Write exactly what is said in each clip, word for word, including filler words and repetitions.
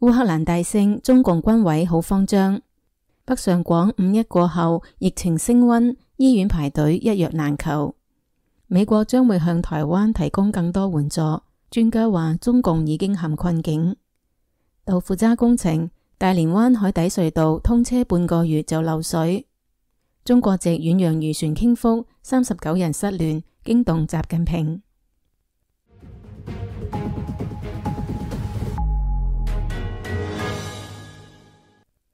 烏克蘭大勝，中共軍委好慌張。北上廣五一過後，疫情升溫，醫院排隊一藥難求。美國將會向台灣提供更多援助。專家話中共已經陷困境。豆腐渣工程，大連灣海底隧道通車半個月就漏水。中國籍遠洋漁船傾覆，三十九人失聯，驚動習近平。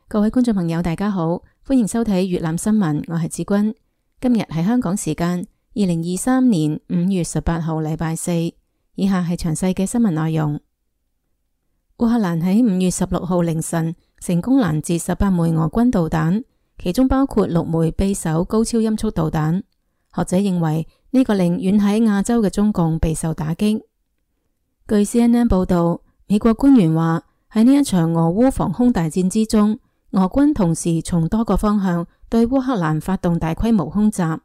各位觀眾朋友大家好，歡迎收睇粵覽新聞，我係子君。今日係香港時間二零二三年五月十八號禮拜四，以下係詳細嘅新聞內容。烏克蘭喺五月十六號凌晨成功攔截十八枚俄軍導彈，其中包括六枚匕首高超音速導彈。學者認為呢個令遠喺亞洲嘅中共備受打擊。據 C N N 報道，美國官員話喺呢一場俄烏防空大戰之中，俄軍同時從多個方向對烏克蘭發動大規模空襲，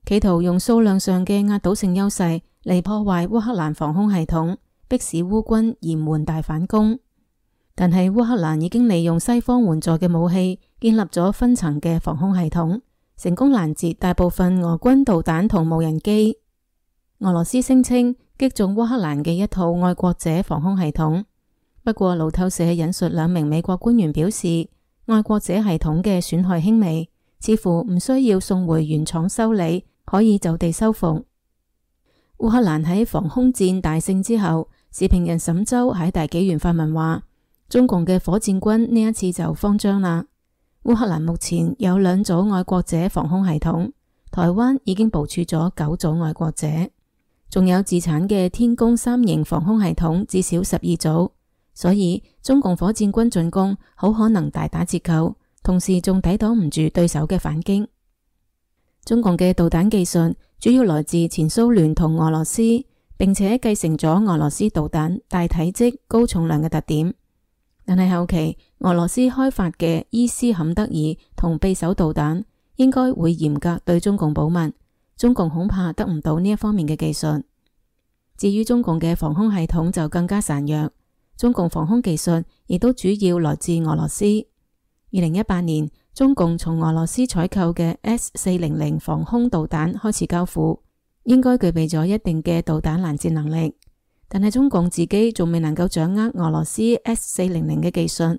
企圖用數量上嘅壓倒性優勢嚟破壞烏克蘭防空系統，迫使烏軍延緩大反攻。但係烏克蘭已經利用西方援助嘅武器，建立咗分層嘅防空系統，成功攔截大部分俄軍導彈同無人機。俄羅斯聲稱擊中烏克蘭嘅一套愛國者防空系統，不過路透社引述兩名美國官員表示，愛國者系統嘅損害輕微，似乎唔需要送回原廠修理，可以就地修復。烏克蘭喺防空戰大勝之後，時評人沈周喺大紀元發文話，中共嘅火箭軍呢一次就慌張啦。烏克蘭目前有兩組愛國者防空系統，台灣已經部署咗九組愛國者，仲有自產嘅天宮三型防空系統至少十二組。所以中共火箭軍進攻好可能大打折扣，同時仲抵擋唔住對手嘅反擊。中共嘅導彈技術主要來自前蘇聯同俄羅斯，並且繼承咗俄羅斯導彈大體積、高重量嘅特點。但係後期俄羅斯開發嘅伊斯坎德爾同匕首導彈應該會嚴格對中共保密，中共恐怕得唔到呢一方面嘅技術。至於中共嘅防空系統就更加孱弱。中共防空技術亦都主要來自俄羅斯。二零一八年，中共從俄羅斯採購嘅 S 四零零防空導彈開始交付，應該具備咗一定嘅導彈攔截能力。但係中共自己仲未能夠掌握俄羅斯 S 四零零嘅技術，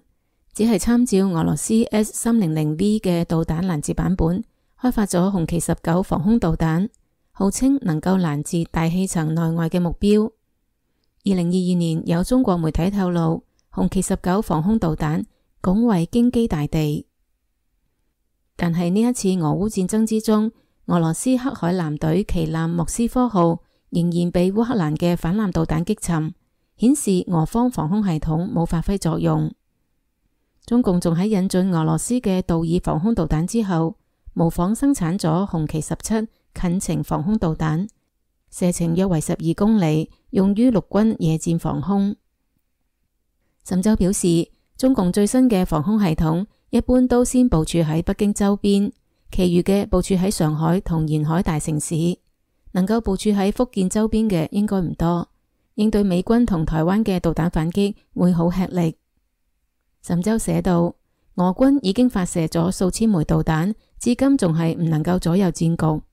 只係參照俄羅斯 S 三零零 V 嘅導彈攔截版本，開發咗紅旗十九防空導彈，號稱能夠攔截大氣層內外嘅目標。二零二二年有中國媒體透露，紅旗十九防空導彈拱衛京畿大地。但係呢一次俄烏戰爭之中，俄羅斯黑海艦隊旗艦莫斯科號仍然被烏克蘭嘅反艦導彈擊沉，顯示俄方防空系統冇發揮作用。中共仲喺引進俄羅斯嘅道爾防空導彈之後，模仿生產咗紅旗十七近程防空導彈，射程約為十二公里，用於陸軍野戰防空。沈周表示，中共最新嘅防空系統一般都先部署喺北京周邊，其餘嘅部署喺上海同沿海大城市，能夠部署喺福建周邊嘅應該唔多，應對美軍同台灣嘅導彈反擊會好吃力。沈周寫道，俄軍已經發射咗數千枚導彈，至今仲係唔能夠左右戰局。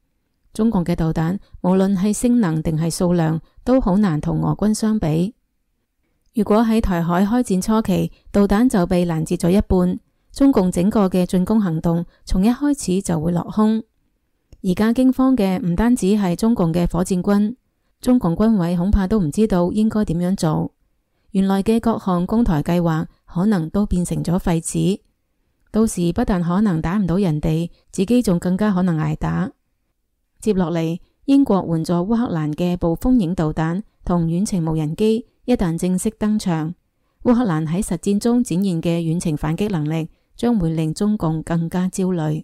中共嘅導彈無論係性能定係數量都好難同俄軍相比。如果喺台海開戰初期，導彈就被攔截咗一半，中共整個嘅進攻行動從一開始就會落空。而家驚慌嘅唔單止係中共嘅火箭軍，中共軍委恐怕都唔知道應該點樣做。原來嘅各項攻台計劃可能都變成咗廢紙，到時不但可能打唔到人哋，自己仲更加可能挨打。接落嚟，英國援助烏克蘭嘅暴風影導彈同遠程無人機一旦正式登場，烏克蘭喺實戰中展現嘅遠程反擊能力將會令中共更加焦慮。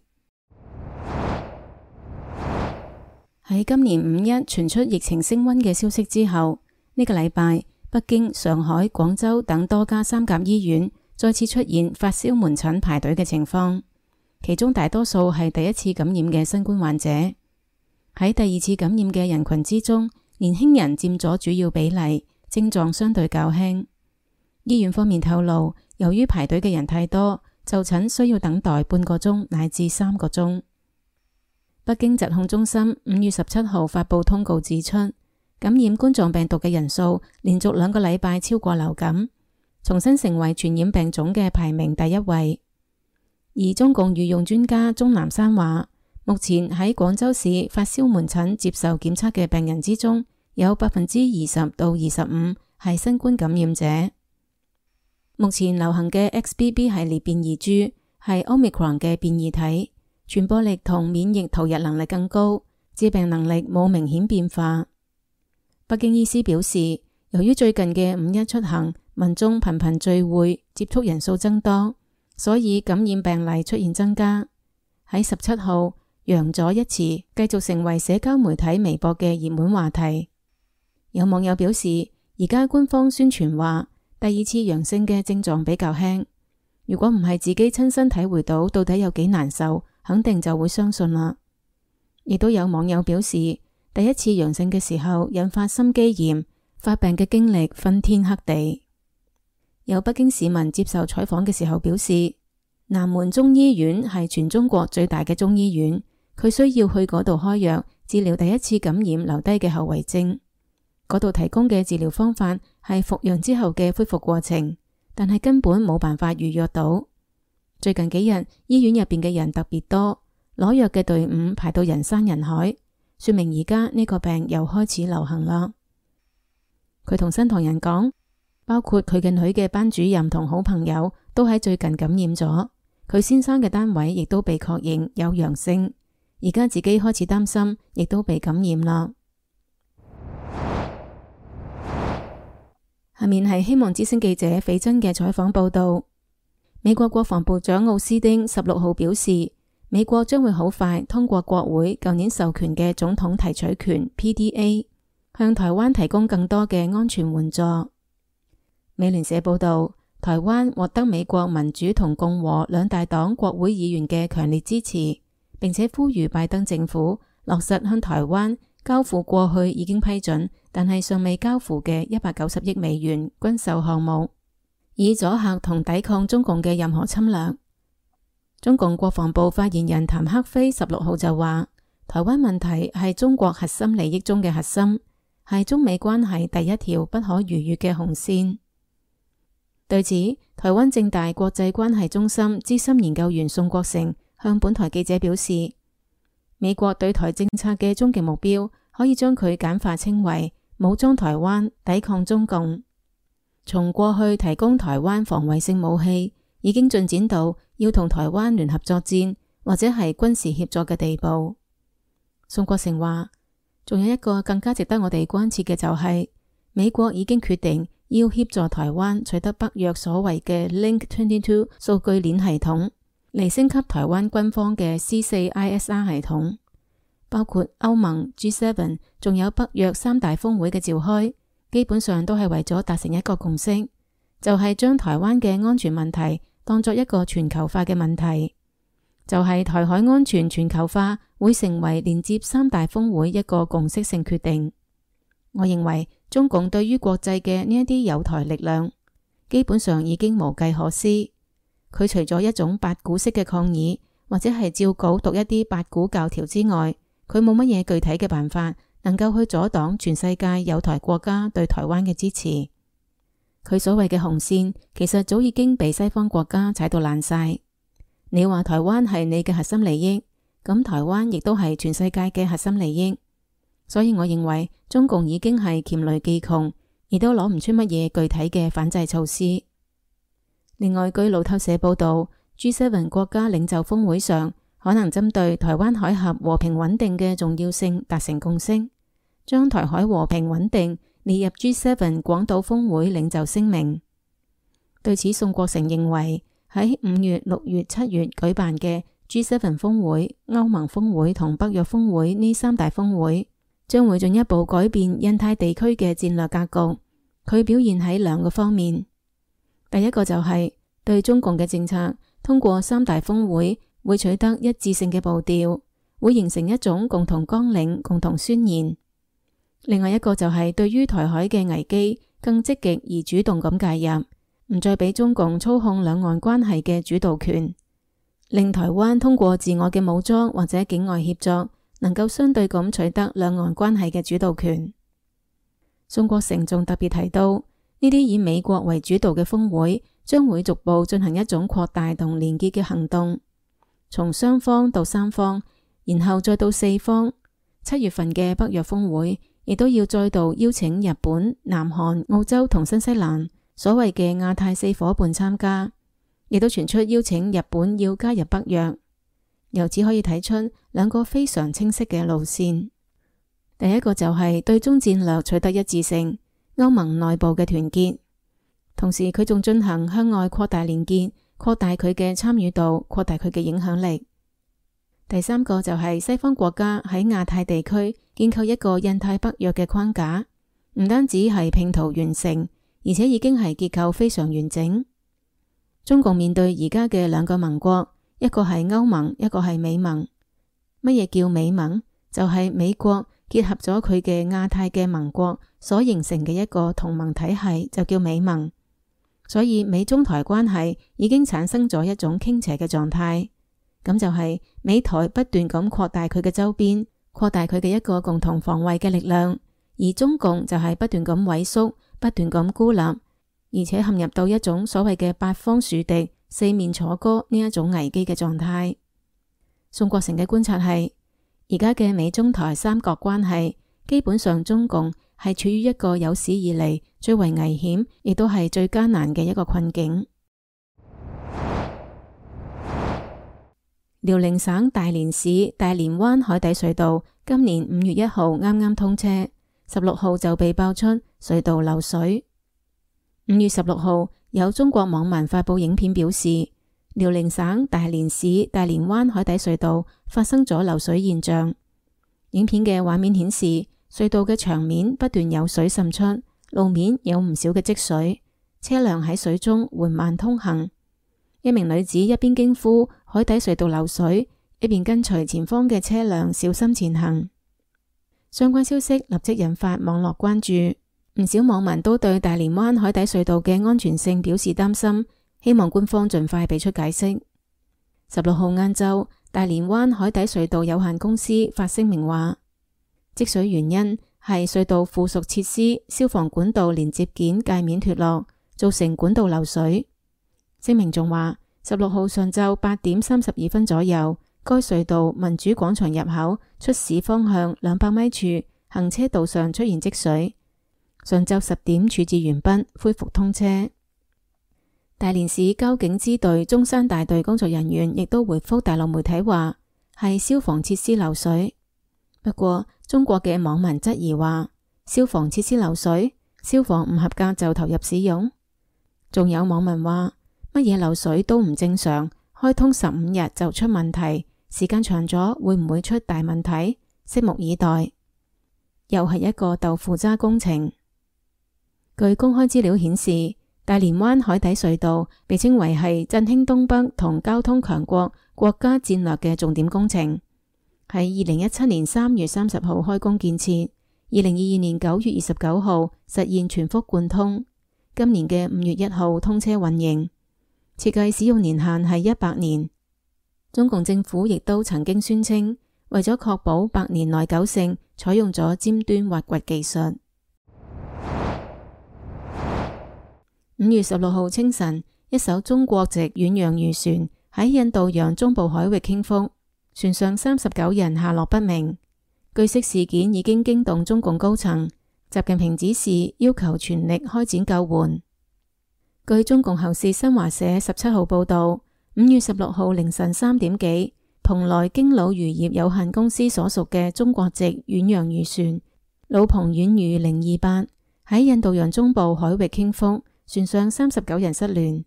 喺今年五一傳出疫情升溫嘅消息之後，呢個禮拜北京、上海、廣州等多家三甲醫院再次出現發燒門診排隊嘅情況，其中大多數係第一次感染嘅新冠患者。喺第二次感染嘅人群之中，年輕人佔咗主要比例，症狀相對較輕。醫院方面透露，由於排隊嘅人太多，就診需要等待半個鐘乃至三個鐘。北京疾控中心五月十七號發布通告指出，感染冠狀病毒嘅人數連續兩個禮拜超過流感，重新成為傳染病種嘅排名第一位。而中共御用專家鍾南山話，目前喺廣州市發燒門診接受檢測嘅病人之中，有百分之二十到二十五係新冠感染者。目前流行嘅 X B B 系列變異株係 Omicron 嘅變異體，傳播力同免疫逃逸能力更高，致病能力冇明顯變化。北京醫師表示，由於最近嘅五一出行，民眾頻頻聚會，接觸人數增多，所以感染病例出現增加。喺十七號，陽咗一詞繼續成為社交媒體微博嘅熱門話題。有網友表示，而家官方宣傳話第二次陽性嘅症狀比較輕，如果唔係自己親身體會到到底有幾難受，肯定就會相信啦。亦都有網友表示，第一次陽性嘅時候引發心肌炎，發病嘅經歷昏天黑地。有北京市民接受採訪嘅時候表示，南門中醫院係全中國最大嘅中醫院，佢需要去嗰度開藥治療第一次感染留低嘅後遺症。嗰度提供嘅治療方法係復陽之後嘅恢復過程，但係根本冇辦法預約到。最近幾日醫院入邊嘅人特別多，攞藥嘅隊伍排到人山人海，說明而家呢個病又開始流行啦。佢同新唐人講，包括佢嘅女嘅班主任同好朋友都喺最近感染咗，佢先生嘅單位亦都被確認有陽性，而家自己開始擔心，亦都被感染啦。下面係希望之聲記者斐真嘅採訪報道。美國國防部長奧斯丁十六號表示，美國將會好快通過國會舊年授權嘅總統提取權 P D A， 向台灣提供更多嘅安全援助。美聯社報道，台灣獲得美國民主同共和兩大黨國會議員嘅強烈支持，並且呼籲拜登政府落實向台灣交付過去已經批准但係尚未交付嘅一百九十億美元軍售項目，以阻嚇同抵抗中共嘅任何侵略。中共國防部發言人譚克非十六號就話，台灣問題係中國核心利益中嘅核心，係中美關係第一條不可逾越嘅紅線。對此，台灣政大國際關係中心資深研究員宋國成向本台記者表示，美國對台政策嘅終極目標可以將佢簡化稱為武裝台灣，抵抗中共。從過去提供台灣防衛性武器，已經進展到要同台灣聯合作戰或者係軍事協作嘅地步。宋國成話，仲有一個更加值得我哋關切嘅就係、是、美國已經決定要協助台灣取得北約所謂嘅 Link 二十二數據鏈系統，嚟升級台灣軍方嘅 C 四 I S R 系統。包括歐盟、G 七，仲有北約三大峰會嘅召開，基本上都係為咗達成一個共識，就係、是、將台灣嘅安全問題當作一個全球化嘅問題，就係、是、台海安全全球化會成為連接三大峰會一個共識性決定。我認為中共對於國際嘅呢一啲友台力量，基本上已經無計可施。佢除咗一種八股式嘅抗議，或者係照稿讀一啲八股教條之外，佢冇乜嘢具體嘅辦法能夠去阻擋全世界友台國家對台灣嘅支持。佢所謂嘅紅線其實早已經被西方國家踩到爛晒。你話台灣係你嘅核心利益，咁台灣亦都係全世界嘅核心利益。所以我認為中共已經係黔驢技窮，亦都攞唔出乜嘢具體嘅反制措施。另外，據路透社報道， G 七 國家領袖峰會上可能針對台灣海峽和平穩定嘅重要性達成共識，將台海和平穩定列入 G 七 廣島峰會領袖聲明。對此，宋國成認為喺五月、六月、七月舉辦嘅 G 七 峰會、歐盟峰會同北約峰會呢三大峰會，將會進一步改變印太地區嘅戰略格局。佢表現喺兩個方面，第一個就係對中共嘅政策通過三大峰會會取得一致性嘅步調，會形成一種共同綱領、共同宣言。另外一個就係對於台海嘅危機更積極而主動咁介入，唔再俾中共操控兩岸關係嘅主導權，令台灣通過自我嘅武裝或者境外協作，能夠相對咁取得兩岸關係嘅主導權。宋國誠仲特別提到，呢啲以美國為主導嘅峰會將會逐步進行一種擴大同連結嘅行動，從雙方到三方，然後再到四方。七月份嘅北約峰會亦都要再度邀請日本、南韓、澳洲同新西蘭所謂嘅亞太四夥伴參加，亦都傳出邀請日本要加入北約。由此可以睇出兩個非常清晰嘅路線。第一個就係對中戰略取得一致性，歐盟內部嘅團結，同時佢仲進行向外擴大連結，擴大佢嘅參與度，擴大佢嘅影響力。第三個就係西方國家喺亞太地區建構一個印太北約嘅框架，唔單止係拼圖完成，而且已經係結構非常完整。中共面對而家嘅兩個盟國，一個係歐盟，一個係美盟。乜嘢叫美盟？就係美國結合咗佢嘅亞太嘅盟國所形成嘅一個同盟體系，就叫美盟。所以美中台關係已經產生咗一種傾斜嘅狀態。咁就係美台不斷咁擴大佢嘅周邊，擴大佢嘅一個共同防衛嘅力量，而中共就係不斷咁萎縮，不斷咁孤立，而且陷入到一種所謂嘅八方樹敵、四面楚歌呢一種危機嘅狀態。宋國誠嘅觀察係，而家嘅美中台三角關係，基本上中共係處於一個有史以嚟最為危險，亦都係最艱難嘅一個困境。遼寧省大連市大連灣海底隧道今年五月一號啱啱通車，十六號就被爆出隧道漏水。五月十六號，有中國網民發布影片表示，遼寧省大連市大連灣海底隧道發生咗漏水現象。影片嘅畫面顯示，隧道嘅牆面不斷有水滲出，路面有唔少嘅積水，車輛喺水中緩慢通行。一名女子一邊驚呼海底隧道漏水，一邊跟隨前方嘅車輛小心前行。相關消息立即引發網絡關注，唔少網民都對大連灣海底隧道嘅安全性表示擔心，希望官方盡快俾出解釋。十六號晏晝，大連灣海底隧道有限公司發聲明話，積水原因係隧道附屬設施消防管道連接件界面脫落，造成管道漏水。聲明仲話，十六號上晝八點三十二分左右，該隧道民主廣場入口出市方向兩百米處行車道上出現積水，上晝十點處置完畢，恢復通車。大連市交警支隊中山大隊工作人員亦都回覆大陸媒體話，係消防設施漏水。不過中國嘅網民質疑話，消防設施漏水，消防唔合格就投入使用。仲有網民話，乜嘢漏水都唔正常，開通十五日就出問題，時間長咗會唔會出大問題？拭目以待。又係一個豆腐渣工程。據公開資料顯示，大連灣海底隧道被稱為係振興東北同交通強國國家戰略嘅重點工程，喺二零一七年三月三十號開工建設，二零二二年九月二十九號實現全幅貫通，今年嘅五月一號通車運營。設計使用年限係一百年。中共政府亦都曾經宣稱，為咗確保百年耐久性，採用咗尖端挖掘技術。五月十六號清晨，一艘中國籍遠洋漁船喺印度洋中部海域傾覆，船上三十九人下落不明。據悉事件已經驚動中共高層，習近平指示要求全力開展救援。據中共喉舌新華社十七號報道，五月十六號凌晨三點幾，蓬萊京魯漁業有限公司所屬嘅中國籍遠洋漁船魯鵬遠漁零二八喺印度洋中部海域傾覆，船上三十九人失聯，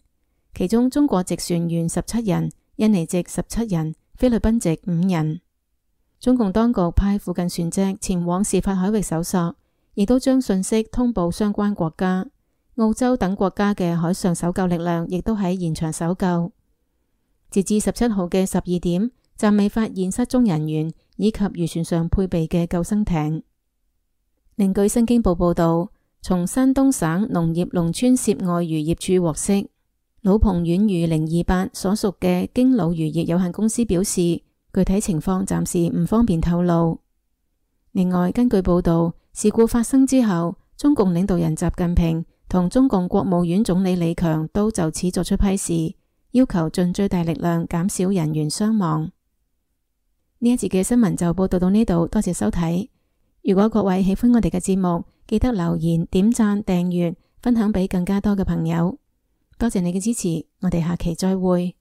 其中中國籍船員十七人，印尼籍十七人，菲律賓籍五人。中共當局派附近船隻前往事發海域搜索，亦都將信息通報相關國家。澳洲等國家嘅海上搜救力量亦都喺現場搜救。截至十七號嘅十二點，暫未發現失蹤人員以及漁船上配備嘅救生艇。另據新京報報道，從山東省農業農村涉外漁業處獲悉，老彭縣漁零二八所屬嘅京魯漁業有限公司表示，具體情況暫時唔方便透露。另外，根據報道，事故發生之後，中共領導人習近平同中共國務院總理李強都就此作出批示，要求盡最大力量減少人員傷亡。呢一節嘅新聞就報道到呢度，多謝收睇。如果各位喜歡我哋嘅節目，記得留言、點讚、訂閱、分享俾更加多嘅朋友。多謝你嘅支持，我哋下期再會。